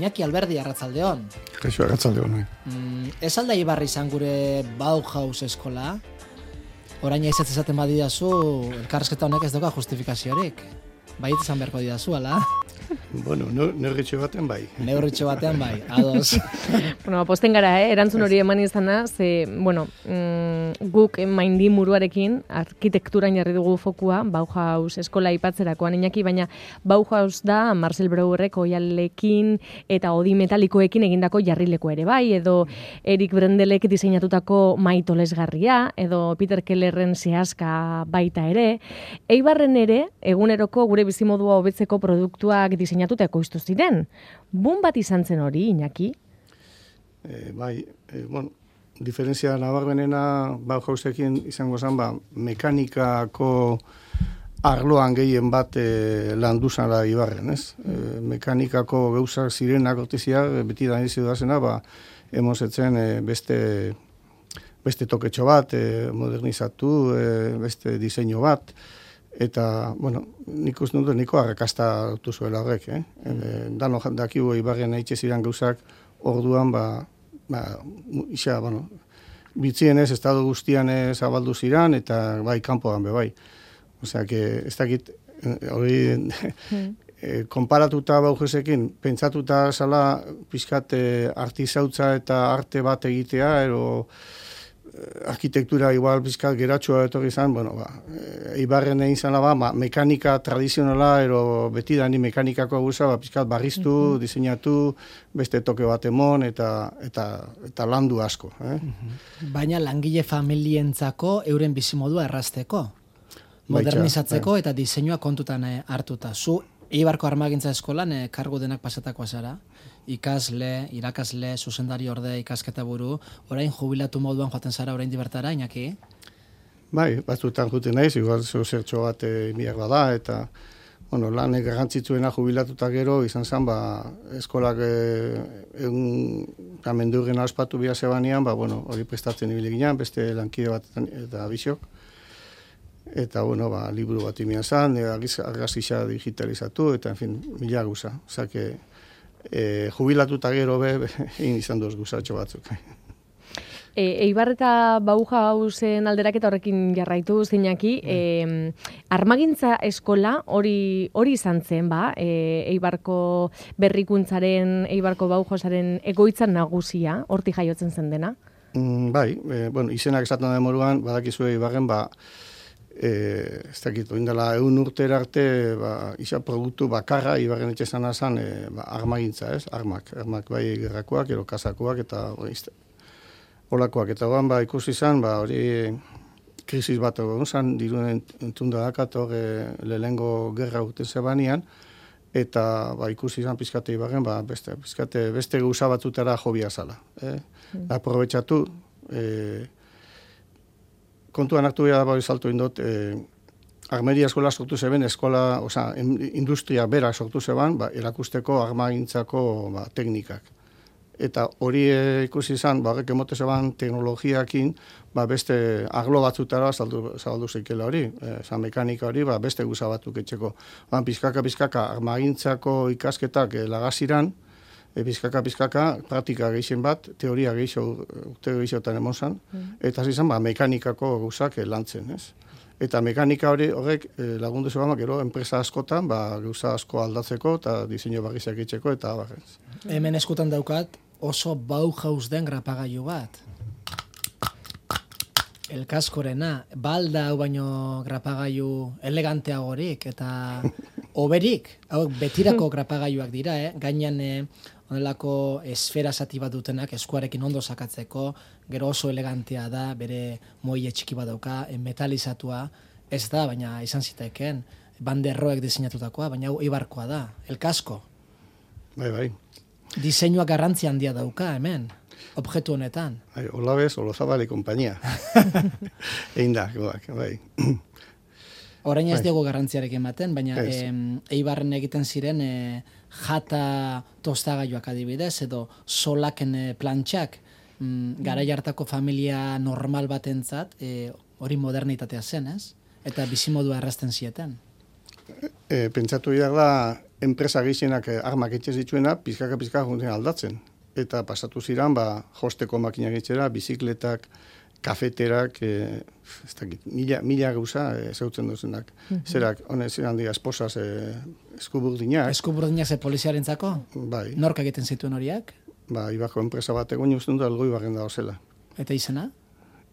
Iñaki Alberdi, arratsaldeon. Kaixo, arratsaldeon. Ez alda Ibarra izan gure Bauhaus eskola? Orain ez ezaten badidazu, elkarrezketa honek ez doka justifikaziorik. Baiet izan beharko didazu, ala? Bueno, neurritxo batean bai. Neurritxo batean bai, ados. Bueno, posten gara, erantzun hori eman izana, guk maindi muruarekin arkitekturan jarri dugu fokua, Bauhaus eskola aipatzerakoan Iñaki, baina Bauhaus da Marcel Breuerrek oialekin eta odi metalikoekin egindako jarrileko ere bai, edo Erik Brendelek diseinatutako maitolesgarria, edo Peter Kellerren zehazka baita ere. Eibarren ere, eguneroko gure bizimodua hobetzeko produktuak diseinatuta ekoiztu ziren. Bun bat izan zen hori, Iñaki? Diferentzia nabarmenena Bauhausekin izango zen, mekanikako arloan gehien bat landu zara Ibarren, ez? Mekanikako gauzak zirenak ortizia, beti da nizi dudazena, emozetzen beste toketxo bat, modernizatu, beste diseinu bat, eta, nik uste dut, niko arrakasta dutu zuela horrek, Dano dakigu Ibarren eitxe ziren gauzak orduan, bitzienez, estado guztian zabaldu ziren, eta bai, kanpoan bai. Osea, ez dakit, hori, konparatuta Bauhausekin, pentsatuta zala pixkat artizautza eta arte bat egitea, ero arkitektura igual pixkat geratxua etorri izan, Ibarren egin zala mekanika tradizionala, ero beti dani mekanikako guza, pixkat barriztu, diseinatu, beste toke bat emon, eta landu asko. Baina langile familientzako euren bizimodua errazteko, modernizatzeko eta diseinua kontutan hartuta. Zu Eibarko Armagintza Eskolan kargu denak pasatakoa zara, ikasle, irakasle, zuzendari orde, ikasketa buru, orain jubilatu moduan joaten zara orain dibertara, Iñaki? Bai, batzutan juten naiz, igual zertxo bat miak bada, eta lan garrantzitsuena jubilatuta gero, izan zen, eskolak mendurren aspatu bia zebanean, hori prestatzen ibili ginen, beste lankide bat eta abizok. Eta, liburu bat imian zen, argazkixa digitalizatu, eta, mila guza. Osake, jubilatuta gero egin izan duz guzatxo batzuk. Eibar eta Bauhausen alderaketa horrekin jarraitu Iñaki, Armagintza eskola hori izan zen, Eibarko berrikuntzaren, Eibarko Bauhausaren egoitzan nagusia, hortik jaiotzen zen dena? Bai, izenak esaten den moruan, badakizue Eibarren, ez dakit, oindela 100 urtera arte, isa produktu bakarra, Ibarren etxe zana zen, armagintza, ez? Armak bai gerrakoak, ero kasakoak, eta olakoak. Eta horan, ikusi zen, hori krisis bat egon zen, diruen entzunda dakat, lehengo gerra urte zebanean, eta ikusi zen pizkate Ibarren, beste gauza batzutara jobia zala. Aprobetxatu, kontuan hartu behar da salto indot, armeria eskola sortu zeben, industria bera sortu zeben, erakusteko armagintzako teknikak. Eta hori ikusi izan, horrek emote zeben teknologiakin, beste arlo batzutara zabaldu zeikela hori, mekanika hori, beste guza batzuk etxeko. Pizkaka, armagintzako ikasketak lagaziran, pizkaka, praktika gehien bat, teoria gehiotan emon zan, eta zizan, mekanikako gauzak lantzen, ez? Eta mekanika horrek lagundu zegoen, gero, enpresa askotan, gauza asko aldatzeko, eta diseinu barrizak itxeko, eta barrez. Hemen eskutan daukat, oso Bauhaus den grapagailu bat. Elkaskorena, balda hau baino grapagailu eleganteagorik, eta oberik, hau betirako grapagailuak dira, gainean onelako esfera zati bat dutenak eskuarekin ondo sakatzeko, gero oso elegantea da, bere moile txiki bat dauka, metalizatua, ez da, baina izan ziteken, banderroek diseinatutakoa, baina hau Eibarkoa da, elkasko. Bai. Diseinua garrantzia handia dauka, hemen, objektu honetan. Olabez, Olozabal kompainia. Egin da, bai. Orain ez dugu garrantziarekin ematen, baina Eibarren egiten ziren jata tostagailuak adibidez, edo solaken plantxak, garai hartako familia normal batentzat, hori modernitatea zen, ez? Eta bizimodua errazten zieten. Pentsatu behar da, enpresa gehienak armak etxe zituena, pizkaka juntzen aldatzen. Eta pasatu ziren, josteko makina gitxera, bizikletak, kafeterak, ez dakit, mila gauza zeutzen duzenak. Zerak, honez ziren dira, esposaz eskuburdinak. Eskuburdinak ze poliziarentzako? Bai. Nork egiten zituen horiak? Ibako enpresa bat egon usten dut algoi barren da zela. Eta izena?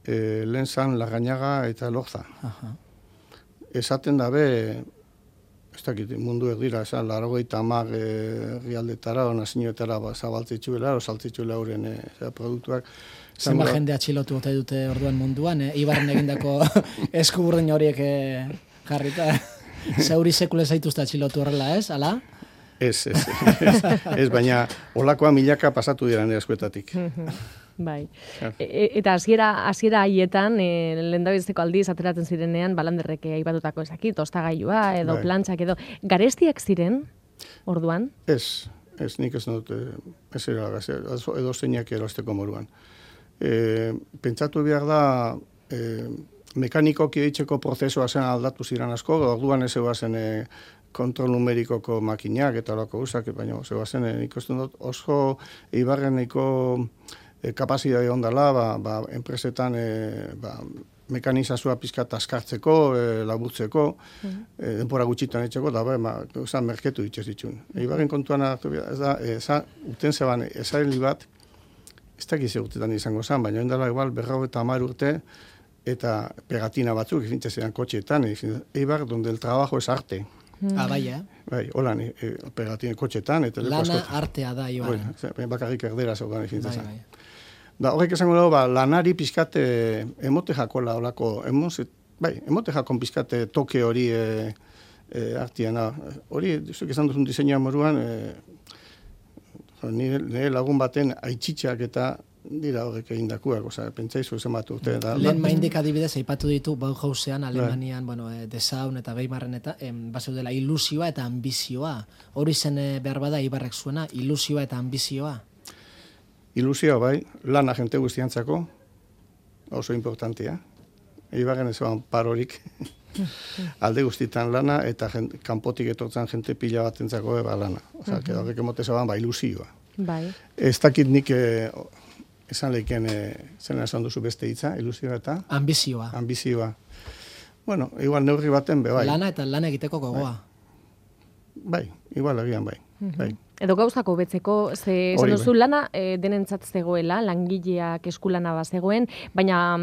Lehen zan, Larrañaga eta Lorza. Aha. Esaten dabe, ez dakit, mundu erdira, esan, 90 herrialdetara, nazioetara zabaltzitzuela, saltzitzuela horren produktuak. Zenba jende atxilotu ote dute orduan munduan, Ibarren egindako eskuburdin horiek jarrita. Zeuri sekule zaituzte atxilotu horrela, ez, ala? Ez, baina olakoa milaka pasatu dira nire eskuetatik. Bai. Eta hasiera haietan, lehendabiziko aldiz ateratzen zirenean, balanderrek aipatutako ezakit, tostagailua edo plantxak edo, garestiak ziren orduan? Ez, nik ez dut, edo zeinak erosteko moruan. Pentsatu behar da, mekanikoki eitzeko prozesua zen aldatu ziren asko, orduan ez zen kontrol numerikoko makinak eta olako usak, baina zen ikusten dut oso Ibarreneko kapazidade ondala, enpresetan mekanizazioa pizkat askartzeko, laburtzeko, denpora gutxitan etxeko, da merketu dituz ditun. Ibarren kontuan hartu behar, uten zeban, ezareli bat, ez dakiz urtetan izango zen, baina endala igual 50 urte, eta pegatina batzuk, fintzen kotxeetan, Eibar, donde el trabajo es arte. Bai, Bai, holan, pegatina kotxeetan. Lana artea da, Ibarren. Bakarrik erdera zaudan fintzen zen. Da, horrek esango dago, lanari pizkate emote jakola olako, emote jakon pizkate toke hori artiana. Hori, zuk esan duzun diseinua moruan, nire lagun baten aitzitxak eta dira horrek egindakuak, pentsaizu zen bat urte. Lehen maindik adibidez, aipatu ditu Bauhausean, Alemanian, Desaun eta Weimarren eta bazeudela ilusioa eta ambizioa. Hori zen behar bada Ibarrek zuena, ilusioa eta ambizioa. Ilusioa bai, lana jente guztiantzako, oso importantia. Ibarren ez ban parorik. Alde guztitan lana eta kanpotik etortzen jente pila bat entzako lana. Horrek emote zeban ilusioa. Bai. Ez dakit nik esan lehiken zena esan duzu beste hitza, ilusioa eta? Ambizioa. Ambizioa. Bueno, igual neurri baten bai. Lana eta lan egiteko gogoa. Bai, igual egian bai. Edo gauzako betzeko, esan duzu lana denentzat zegoela, langileak eskulana bazegoen, baina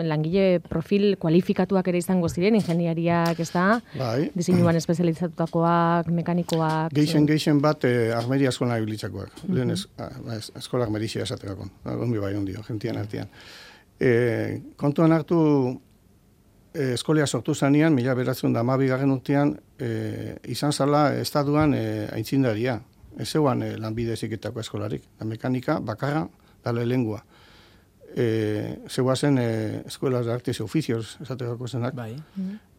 langile profil kualifikatuak ere izango ziren, ingeniariak, ez da? Bai. Diseinuan espezializatutakoak, mekanikoak. Geixen bat armeria eskola ibilitzakoak. Lehen eskola armerizia esatekakon. Gombi bai ondio, gentian artean. Kontuan hartu eskolia sortu zanean, 1912 urtean, izan zala estaduan aitzindaria. Ez zeuan lanbide heziketako eskolarik. Da mekanika, bakarra, da lengua. Zeuazen eskuelas de artes y oficios, esatekako zenak. Bai.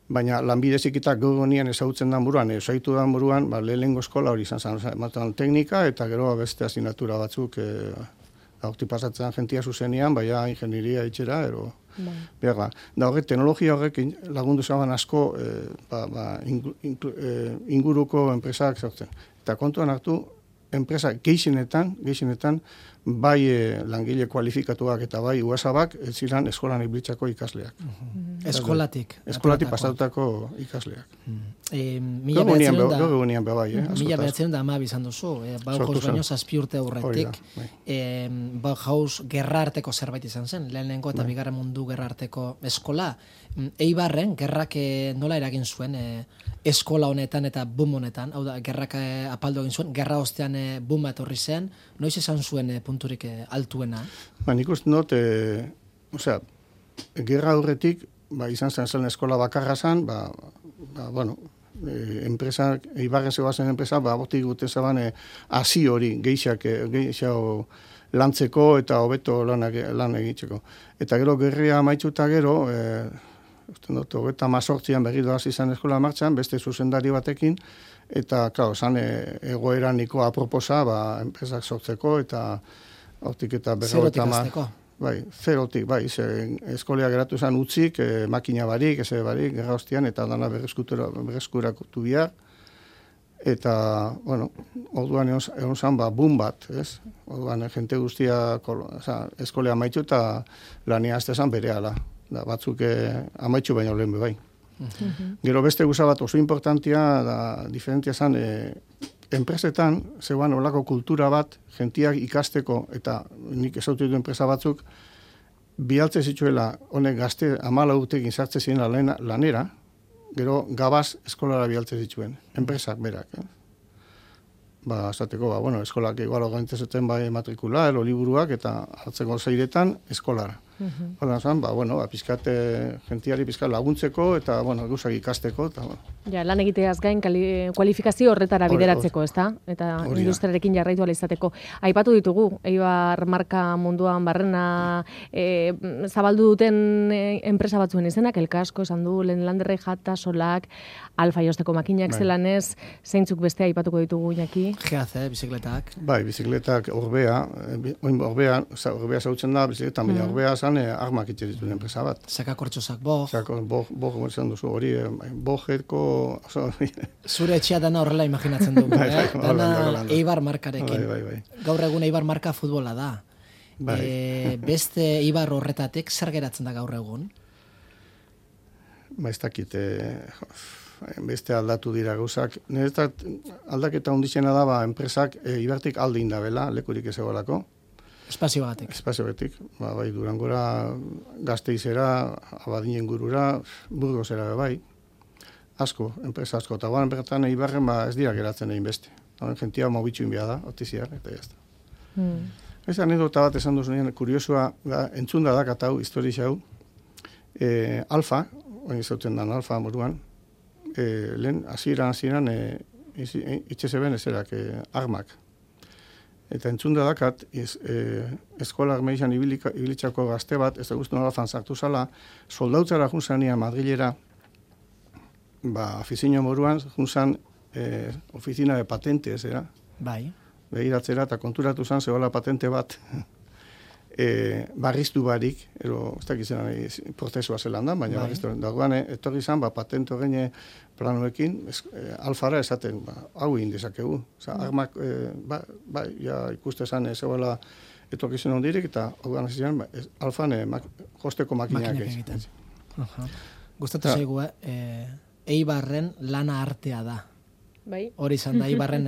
Baina lanbide heziketak gaur nian ezagutzen da buruan, esaitu da buruan, lehengo eskola hori izan zen, ematen teknika, eta gero beste asignatura batzuk, horti pasatzen jentia zuzenean, baina ingenieria itxera, ero... Behar da horrek, teknologia horrek lagundu zaban asko inguruko enpresak sortzen. Eta kontuan hartu, enpresa gehienetan, bai langile kualifikatuak eta bai uasabak, ez ziren eskolan ibiltzako ikasleak. Eskolatik. Eskolatik pasatutako ikasleak. Mila behatzen da ama bizan duzu. Bauhaus baino 7 urte aurretik. Bauhaus gerra arteko zerbait izan zen. Lehenengo eta bigarren mundu gerra arteko eskola. Eibarren, gerrak nola eragin zuen eskola honetan eta boom honetan. Hau da, gerrak apaldu egin zuen. Gerra ostean booma etorri zen. Noiz esan zuen punturik altuena? Nik uste dut, gerra aurretik, izan zen eskola bakarra zen, enpresa, Eibarren zegoazen enpresa, bortik gute zeban hasi hori, geixau lantzeko eta hobeto lan egitzeko. Eta gero gerria amaitzuta gero, uste dut, 38an berri doaz izan eskola martxan, beste zuzendari batekin, eta, klaro, zan egoera niko aproposa, enpresak sortzeko, eta hortik eta zerotik azteko. Bai, zerotik, eskolea geratu zen utzik, makina barik, eze barik, gerra hostian, eta dana berreskuratu bihar, Eta, bueno, orduan egon zan, boom bat, ez? Orduan, jente guztia eskolea amaitu eta lania azte zan bere ala. Da, batzuk amaitzu baino lehen bai. Gero beste guza bat oso importantia, da, diferentia zan, enpresetan, zeuan olako kultura bat, jentiak ikasteko, eta nik ezautu ditu enpresa batzuk, bialtze zituela, honek gazte 14 urtekin sartze ziren lanera, gero gabaz eskolara bialtze zituen, enpresak berak. Esateko, bueno, eskolak igual organizatzen bai matrikula, liburuak, eta hartzeko zeiretan eskolara. Horren zan, pizkat, gentiari pizkat laguntzeko, eta, gauzak ikasteko, eta, Ja, lan egiteaz gain kualifikazio horretara bideratzeko, ezta? Eta industriarekin jarraitu ala izateko. Aipatu ditugu, Eibar marka munduan barrena zabaldu duten enpresa batzuen izenak, Elkasko, esan du, Landerrek, Jata, Solak, Alfa josteko makinak zelanez, zeintzuk beste aipatuko ditugu, Iñaki? GAC, bizikletak. Bai, bizikletak Orbea zautzen da, bizikletan, baina Orbea armak itxe dituen enpresa bat. Sakakortxosak, Bog. Bog, izan duzu, hori, Bogetko... Zure etxea dana horrela imaginatzen dugu, dana Eibar markarekin. Bai. Gaur egun Eibar marka futbola da. Beste Eibar horretatek zer geratzen da gaur egun? Ez dakit, beste aldatu dira gauzak. Niretzat aldaketa ondizena da, enpresak Eibartik alde indabela, lekurik ez egolako. Espazio batek. Espazio batek. Bai, Durangora, Gasteizera, Abadinen gurura, Burgosera bai. Asko, enpresa asko. Eta guan bertan Eibarren ez dira geratzen egin beste. Gentia mobitxu inbia da, otiziar, eta jazta. Ez anedota bat esan duzunean, kuriosua, entzunda da katau, histori xau, Alfa, oin izauten dan Alfa moruan, lehen, hasieran, itxe zeben ezerak, armak. Eta entzunda dakat, eskola armeian ibilitzako gazte bat, ez da guztun Alfan sartu zala, soldautzara junzania Madrilera, afizio moruan, junzan oficina de patentes, era? Bai. Begiratzera, eta konturatu zan, zegoela patente bat, barriztu barik, ez dakizena prozesua zelan da, baina barriztu. Dagoan, etorri zan, patente horrein planoekin, Alfara esaten, hau egin dezakegu. Armak, ikuste zan, zegoela etorkizun hondirik, eta hau ziren, Alfan josteko makinak egiten. Gustatu zaigu, Eibarren lana artea da. Bai. Hori izan da, Eibarren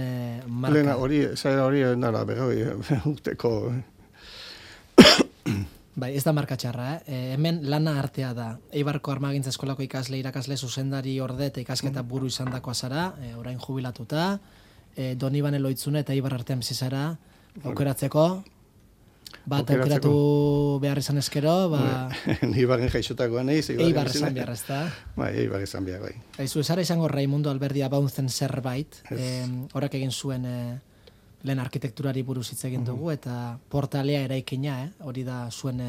marka. Lena, hori endala, berroi, urteko... Bai, ez da marka txarra, hemen lana artea da. Eibarko Armagintza Eskolako irakasle zuzendari orde eta ikasketa buru izan dakoa zara, orain jubilatuta, Donibane Loitzune eta Eibar artean bizizara, aukeratzeko, aukeratu behar izan eskero, Eibarren jaixotakoa nahiz, Eibar izan behar, ez da? Bai, Eibar izan behar, bai. Aizu, esara izango Raimundo Alberdi abauntzen zerbait, horak egin zuen lehen arkitekturari buruz hitz egin dugu, eta portalea eraikina, hori da zuen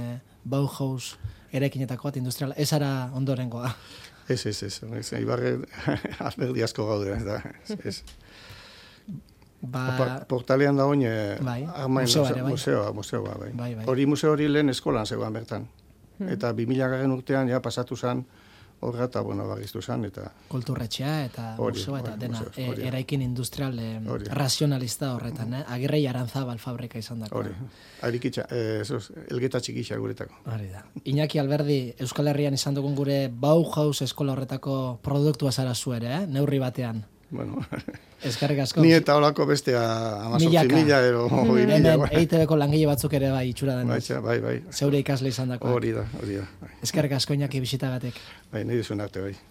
Bauhaus eraikinetako bat industriala, ez ara ondorengoa. Ez, Eibarren Alberdi asko gaude, ez. Portalean da oin, museoa, bai. Hori museo hori lehen eskolan zegoan bertan. Eta 2000 urtean pasatu zen, horra eta, bagiztu zen, eta... Kulturretxea eta museoa eta dena, eraikin industrial razionalista horretan, Agirrei Aranzabal fabrika izan dako. Hori, harikitza, elgeta txikitza guretako. Hori da. Iñaki Alberdi, Euskal Herrian izan dugun gure Bauhaus eskola horretako produktua zara zu ere, neurri batean. Bueno, eskerrik asko. Ni eta holako bestea 18.000 ero 20.000. Hemen EITB-ko langile batzuk ere bai itxura denez. Bai. Zeure ikasle izan dako. Hori da. Eskerrik asko Iñaki bisitagatik. Bai, nahi duzun arte bai.